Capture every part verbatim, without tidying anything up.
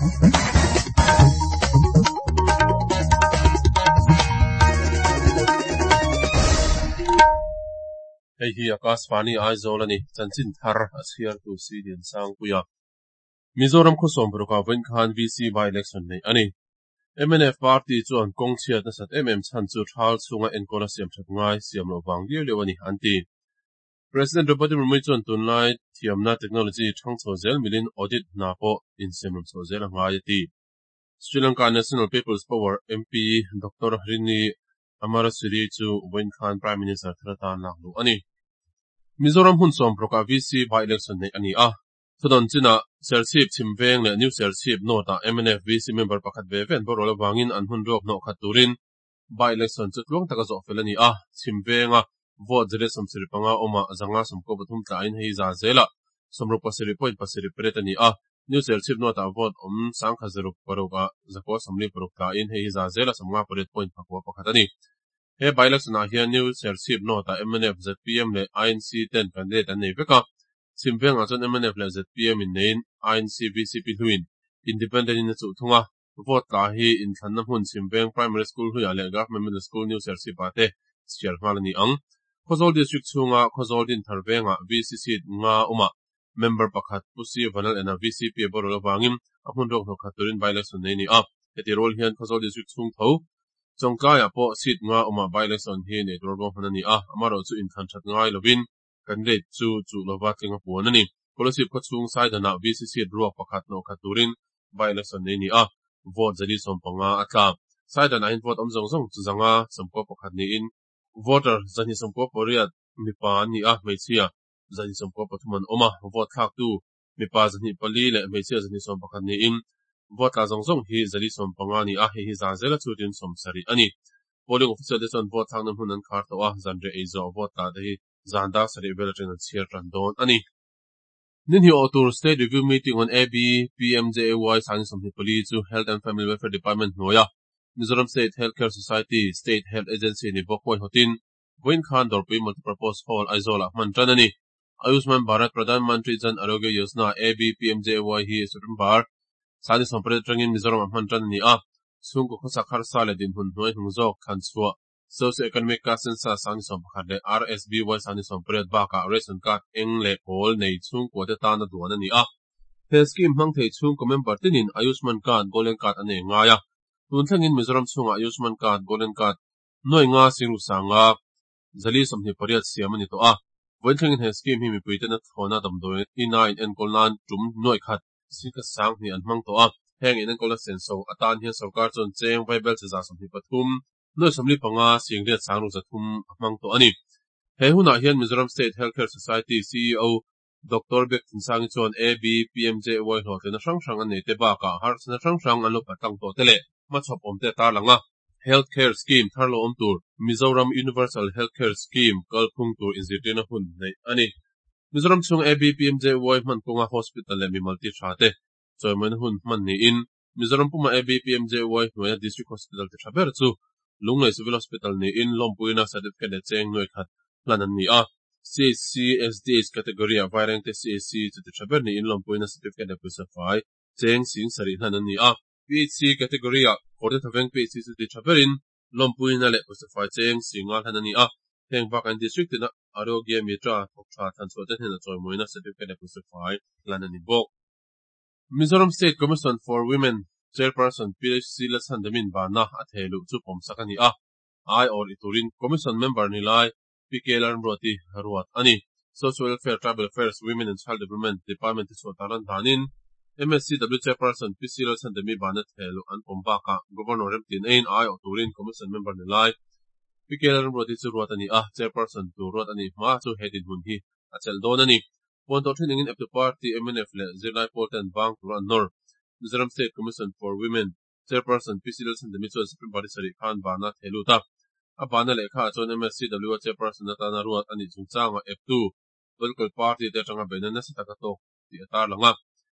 Hei hi Akashvani Aizawl ani chanchin thar a chhiar tu si Lian Sangpuia. Mizoram khawsawm paruk vawiin khan V C by election nei ani. M N F party chuan kawng chhiat nasat em em chhan chu thal chunga enkawl a siam that ngai siam loh vang liau liau ani an ti. President Draupadi Murmu chuan tunlai thiamna technology thang chho zel milin audit hna pawh insiam ram chho zel a ngai a ti. Sri Lanka National People's Power M P Doctor Harini Amarasiri chu vawiin khan Prime Minister thar atan lak luh ani. Mizoram hun sawm paruk V C by election nei ani a. Thudon china Serchhip Chhimveng leh New Serchhip North ah M N F V C member pakhat ve ve an borual awangin an hun ruak hnawh khat turin by election chu tluang taka zawh fel ani a. Chhimvenga vote zere sawmsarih panga awma zanga sawmkaw pathum tlain hei za zela sawmruk pasarih point pasarih pariat ani a. New Serchhip North ah vote awm sangkha zaruk paruk ah zakua sawmli paruk tlain hei za zela sawmnga pariat point pakua pakhat ani. He by election ah hian New Serchhip North ah M N F Z P M leh I N C ten candidate an nei vek a. Chhimvengah chuan M N F leh Z P M in neiin I N C V C P hluin independent in a chuh thung a. Vote tla hi inthlanna hmun Chhimveng Primary School hluiah leh Government Middle School New Serchhip ah te chhiar nghal ani ang. Khawzawl District chhunga Khawzawl din thar vengah V C seat nga awma member pakhat Pusi Vanal ena V C P a borual awangin a hmun ruak hnawh khat turin by election nei ani a. Heti rol hian Khawzawl District chhung tho Chawngtlaiah pawh seat nga awma by election hi nei tur ruang hman ani a. Amarawh chu inthlan that ngai lovin candidate chu chu lova tling a puan ani. Kolasib khawchhung saidanah V C seat ruak pakhat hnawh khat turin by election nei ani a. Vote zali sawm panga a tla. Saidanah hian vote awm zawng zawng chu zanga sawmkaw pakhat niin voter zahnih sawmkaw pariat mipa an ni a, hmeichhia zahnih sawmkaw pathum an awm a. Vote thlak tu mipa zahnih pali leh hmeichhia zahnih sawm pakhat niin vote tla zawng zawng hi zali sawm panga ni a, hei hi za zela chutin sawm sarih ani. Polling official te chuan vote thlakna hmun an khar tawh a, zanriah ei zawh vote tla te hi zan dar sarih vel atangin an chhiar tan dawn ani. Nin hi awh tur State Review Meeting on A B P M J A Y sangni sawmhnih pali chu Health and Family Welfare Department hnuaia Mizoram State Healthcare Society State Health Agency ni bawk huai hawtin vawiin khan Dawrpui Multipurpose Hall Aizawl ah hman tan ani. Ayushman Bharat Pradhan Mantri Jan Arogya Yojana A B P M J A Y hi September sangni sawm pariat atangin Mizoram ah hman tan ani a. Chhungkaw khawsak harsa leh dinhmun hnuai hnung zawk thlan chhuah Socio-economic caste census sangni sawm pakhat leh R S B Y sangni sawm pariat bakah ration card eng leh pawl nei chhungkua te tan a duan ani a. He scheme hmang thei chhungkaw member tinin Ayushman Card Golden Card a nei ngai a. Tun thlengin Mizoram chhungah Ayushman Card Golden Card nuai nga singru sanga zali sawmhnih pariat siam ani tawh a. Vawiin thlengin he scheme hi mipui ten a thlawna damdawi ina in enkawl nan tum nuai khat singkhat sang hnih an hmang tawh a. Heng in enkawl a senso atan hian sarkar chuan cheng vaibel che za sawmhnih pathum nuai sawmli panga singriat sangru zathum a hmang tawh ani. He hunah hian Mizoram State Healthcare Society C E O Doctor Bek Thinsangi chuan A B P M J Y hlawhtlina hrang hrang an nei te bakah harsatna hrang hrang an lo patlang tawh te leh hmachhawp awm te tar lang a. Healthcare Scheme thar lo awm tur Mizoram Universal Healthcare Scheme kalphung tur inzirtirna hun nei ani. Mizoram chhung A B P M J Y hman kawnga hospital leh mi malti tha te chawimawina hun hman niin Mizoram puma A B P M J Y hnuaia District Hospital ti tha ber chu Lunglei Civil Hospital niin lawmpuina certificate leh cheng nuai khat hlan an ni a. C H C S D H category ah Vairengte C H C chu ti tha ber niin lawmpuina certificate leh pawisa fai cheng sing sarih hlan an ni a. P H C category ah Kawrte Thaveng P H C chu ti tha berin lawmpuina leh pawisa fai cheng singa hlan an ni a. Heng bak an district tina Arogya Mitra thawk tha thlan chhuah te hnenah chawimawina certificate leh pawisa fai hlan an ni bawk. Mizoram State Commission for Women Chairperson P H C Lalchhandamin bana a theiluh chu pawmsak ani a. Ai or iturin Commission member ni lai P K Lalramruati ruat ani. Social Welfare, Tribal Affairs, Women and Child Development Department te chhuah taran danin M S C W Chairperson P C Lalchhandami bana theiluh an pawm bakah Governor Remtin ein ai awh turin Commission member ni lai P K Lalramruati chu ruat ani a. Chairperson tu ruat ani hma chu he dinhmun hi a chelh dawn ani. Puan tawh thin engin Eptu Party M N F leh Zirlai Pawl ten bang tur an nawr. Mizoram State Commission for Women Chairperson P C Lalchhandami chuan Supreme Party sarih khan bana theilut a. A bana lehkha ah chuan M S C W a Chairperson atana ruat ani chungchanga Eptu political party te atanga beihna nasa taka tawk tih a tar lang a.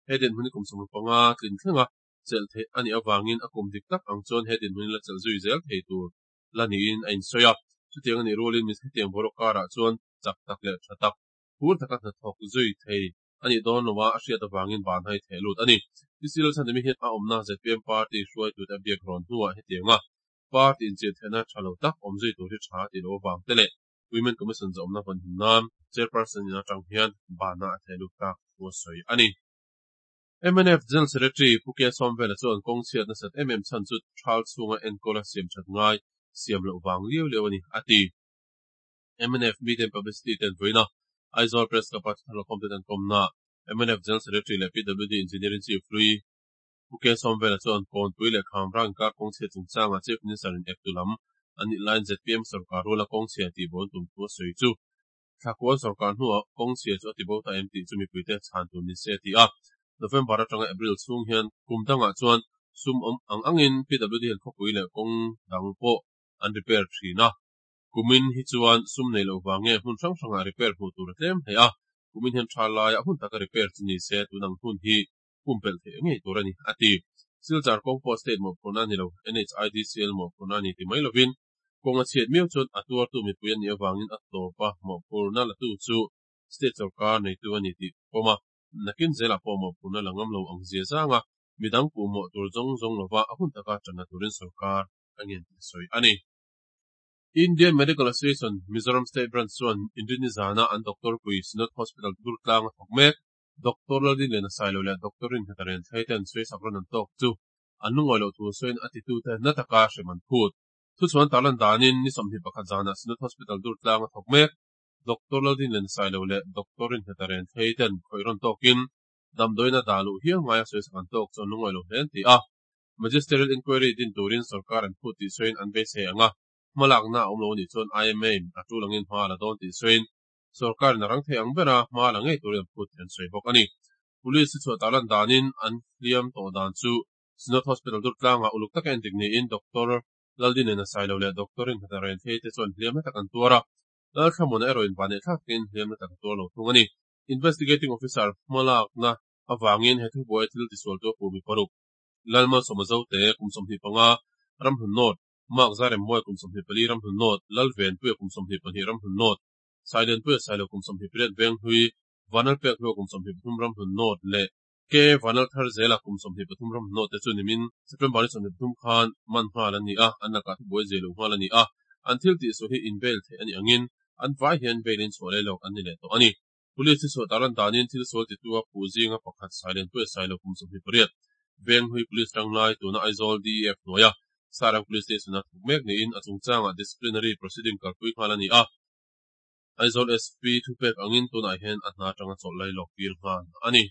He dinhmun hi kum sawmruk panga tlin thlenga chelh theih ani awangin a kum dik tak ang chuan he dinhmun hi la chelh zui zel thei tur la niin a insawi a. Chutiang ani rulin mi hetiang boruak karah chuan chak tak leh tha tak phur taka hnathawk zui thei ani dawn loa a hriat awangin ban hai theilut ani. P C Lalchhandami hian a awmna Z P M party hruaitute a biak rawn hnuah hetiang a party inchilh theihna tha lo tak awm zui tur hi tha tih loh avang te leh Women Commission zawmna vawn him nan chairperson in atang hian bana a theh lut tak thu a sawi a ni. M N F General Secretary Pu K Sawmvela chuan kawng chhiat nasat em em chhan chu thal chhunga enkawl a siam that ngai siam loh vang liau liau a ni a ti. M N F Media and Publicity ten vawiina Aizawl Press Club a thar khawm te an kawmna M N F General Secretary leh P W D Engineering Chief hlui Pu K Sawmvela chuan kawnpui leh khamrang inkar kawng chhiat chungchanga Chief Minister in eptu lam anih laiin Z P M sarkar rula kawng chhia tih bawn tum thu a sawi chu thlakual sarkar hnuah kawng chhia chu a ti bo ta em tih chu mipuite chhan tur ni se a ti a. November atanga April chhung hian kum dangah chuan sum awm ang angin P W D hian khawpui leh kawng dang pawh an repair thin a. Kumin hi chuan sum nei loh vang nge hmun hrang hrangah repair hmuh tur a tlem hle a. Kumin hian tha laia hun taka repair chu ni se tunang hun hi pumpelh theih ngei tur a ni a ti. Silchar kawng pawh state mawhphurhna a ni lo, N H I D C L mawhphurhna a ni ti mai lovin kawng a chhiat miau chuan a tuartu mipui an nih avangin a tawpa mawhphurhna latu chu state sarkar neitu a ni tih pawma nakin zelah pawh mawhphurhna la ngam lo ang zia zanga midang puh mawh tur zawng zawng lova a hun taka tanna turin sarkar a ngen tih sawi a ni. Indian Medical Association Mizoram State Branch chuan Inrini zana an doctor pui Synod Hospital Durtlang a thawk mek Doctor Laldinliana Sailo leh Doctor Rinnghet Renthlei ten sawisak rawn an tawk chu an lungawi loh thu sawiin a titute na taka hrem an phut. Thu chuan tarlan danin ni sawmhnih pakhat zana Synod Hospital Durtlang a thawk mek Doctor Laldinliana Sailo leh Doctor Rinnghet Renthlei ten khawih rawn tawkin damdawiina dah luh hial ngaia sawisak an tawk chu an lungawi lo hle an ti a. Magisterial Inquiry din turin sarkar an phut tih sawiin an beisei anga hmalakna a awm lo anih chuan I M A a tul angin hma la dawn tih sawiin sarkarin a rang thei ang bera hma la ngei turin an phut tih an sawi bawk a ni. Police hi chhuah tarlan danin an hliam tawh dan chu Synod Hospital Durtlanga uluk taka endik niin Doctor Laldinliana Sailo leh Doctor Rinnghet Renthlei te chuan hliam na tak an tuar a. Lalthlamuna erawh in vanneih thlakin hliam na tak a tuar lo thung a ni. Investigating Officer hmalakna awangin he thubuai thil tisual tu a pu mi paruk Lalmalsawma Zote kum sawmhnih panga Ramhlun North, Mark Zarem Mawi kum sawmhnih pali Ramhlun North, Lalvenpuia kum sawmhnih pahnih Ramhlun North, Sailenpuia Sailo kum sawmhnih pariat Venghlui, Vanlalpek Hlua kum sawmhnih pathum Ramhlun North leh K Vanlalthar Zela kum sawmhnih pathum Ramhlun North te chu nimin September ni sawmhnih pathum khan man nghal an ni a, an lakah thubuai zeh lo nghal a ni a. An thil tih sual hi in bail theih a ni angin an vai hian bail in chhuah lei lo an ni leh tawh a ni. Police hi chhuah tarlan danin thil sual titu a puh zinga pakhat Sailenpuia Sailo kum sawmhnih pariat Venghlui Police tanglai tuna Aizawl D E F hnuaia Sairang Police Station a thawk mek niin a chungchangah disciplinary proceeding kalpui nghal a ni a. Aizawl S P thupek angin tunah hian a hna atanga chawlh lai lawk tir nghal a ni.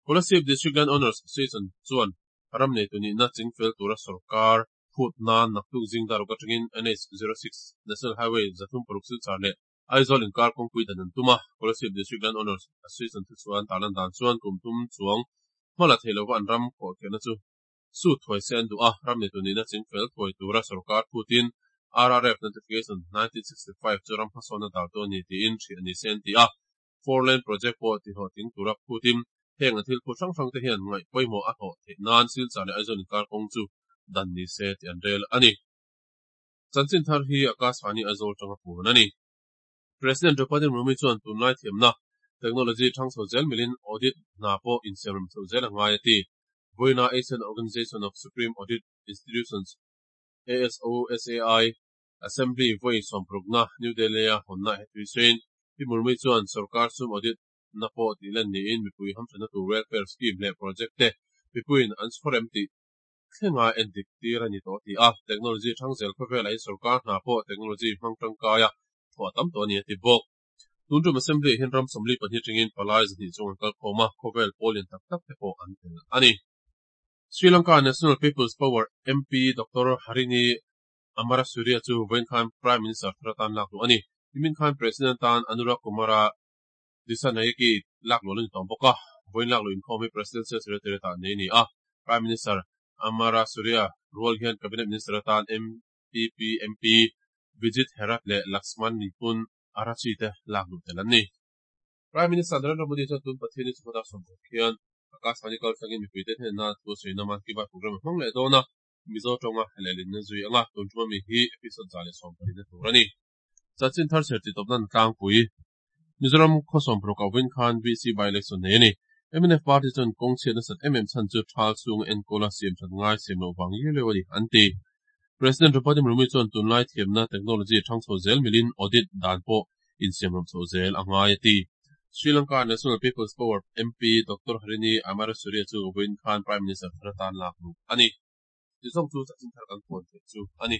Kolasib District Land Owners Association chuan ram nei tu nihna chingfel tura sarkar phut nan naktuk zing daruk atangin N H zero six National Highway zathum paruk Silchar leh Aizawl inkar kawngpui dan an tum a. Kolasib District Land Owners Association thu chuan tarlan dan chuan kum thum chuang hmala thei lova an ram khawh kherna chu su thuai se an duh a. Ram nei tu nihna chingfel thuai tura sarkar phutin R R F Notification nineteen sixty-five chu ram hmasawnna dal tu ani tiin hrih ani se an ti a. Four lane project pawh ti hlawh ting tura phutin heng an thil phut hrang hrang te hian ngaih pawimawh a hlawh theih nan Silchar leh Aizawl inkar kawng chu dan ni se tih an rel a ni. Chanchin thar hi Akashvani Aizawl tanga puan a ni. President Draupadi Murmu chuan tunlai thiamna technology thang chho zel milin audit hna pawh insiamrem chho zel a ngai a ti. Vawiina Asian Organization of Supreme Audit Institutions A S O S A I Assembly vawi sawmparukna New Delhi a hawnna hetui sawiin Pi Murmu chuan sarkar sum audit na pawh tih lan niin mipui hamthana tur welfare scheme leh project te mipuiin an chhawrem tih thlenga endik tir a ni tawh ti a. Technology thang zel khawvel ah sarkar hna pawh technology hmang tangkaia thawh tam tawh a ni a ti bawk. Tuntum assembly hian ram sawmli pahnih tangin palai zahnih chung an kal khawm a, khawvel pawlin tak tak te pawh an tel a ni. Sri Lanka National People's Power M P Doctor Harini Amarasuriya chu vawiin khan Prime Minister thar atan lak luh a ni. Nimin khan President tan Anura Kumara Dissanayake lak luh a ni tawh bawk a. Vawiin lak luh inkhawm hi Presidential Secretariat ah nei a ni a. Prime Minister Amarasuriya rual hian Cabinet Minister atan N P P M P Vijith Herath leh Lakshman Nipun Arachchi te lak luh tel an ni. Prime Minister Narendra Modi chuan tun Pathian ni chhawta sawmparuk hian Akashvani kaltlangin mipuite hnenah thu a sawi na Mann Ki Baat program a hmang leh dawn a. Mizo tawnga lehlin na zui anga tun tuma mi hi episode za leh sawmpahnih na tur a ni. Chanchin thar chhiar tih tawp nan tlangpui. Mizoram khaw sawmparuk ah vawiin khan V C by election nei a ni. M N F party chuan kawng chhiat nasat em em chhan chu thal chhung enkawl a siam that ngai siam loh vang liau liau a ni, an ti. President Draupadi Murmu chuan tunlai thiamna technology thang chho zel milin audit dan pawh insiam ram chho zel a ngai a ti. Sri Lanka National People's Power M P Doctor Harini Amarasuriya chu vawiin khan Prime Minister thar atan lak luh a ni. Tizawng chu chanchin thar kan puan theih chu a ni.